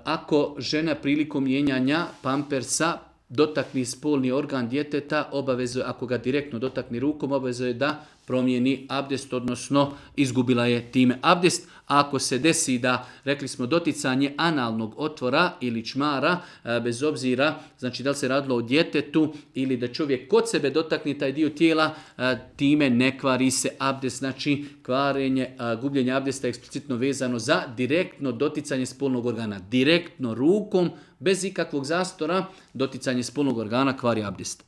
Ako žena prilikom mijenjanja pampersa dotakni spolni organ djeteta, obavezuje, ako ga direktno dotakni rukom, obavezuje da promijeni abdest, odnosno izgubila je time abdest. A ako se desi da, rekli smo, doticanje analnog otvora ili čmara, bez obzira, znači da li se radilo o djetetu ili da čovjek kod sebe dotakne taj dio tijela, time ne kvari se abdest. Znači kvarenje, gubljenje abdesta je eksplicitno vezano za direktno doticanje spolnog organa. Direktno rukom, bez ikakvog zastora, doticanje spolnog organa kvari abdest.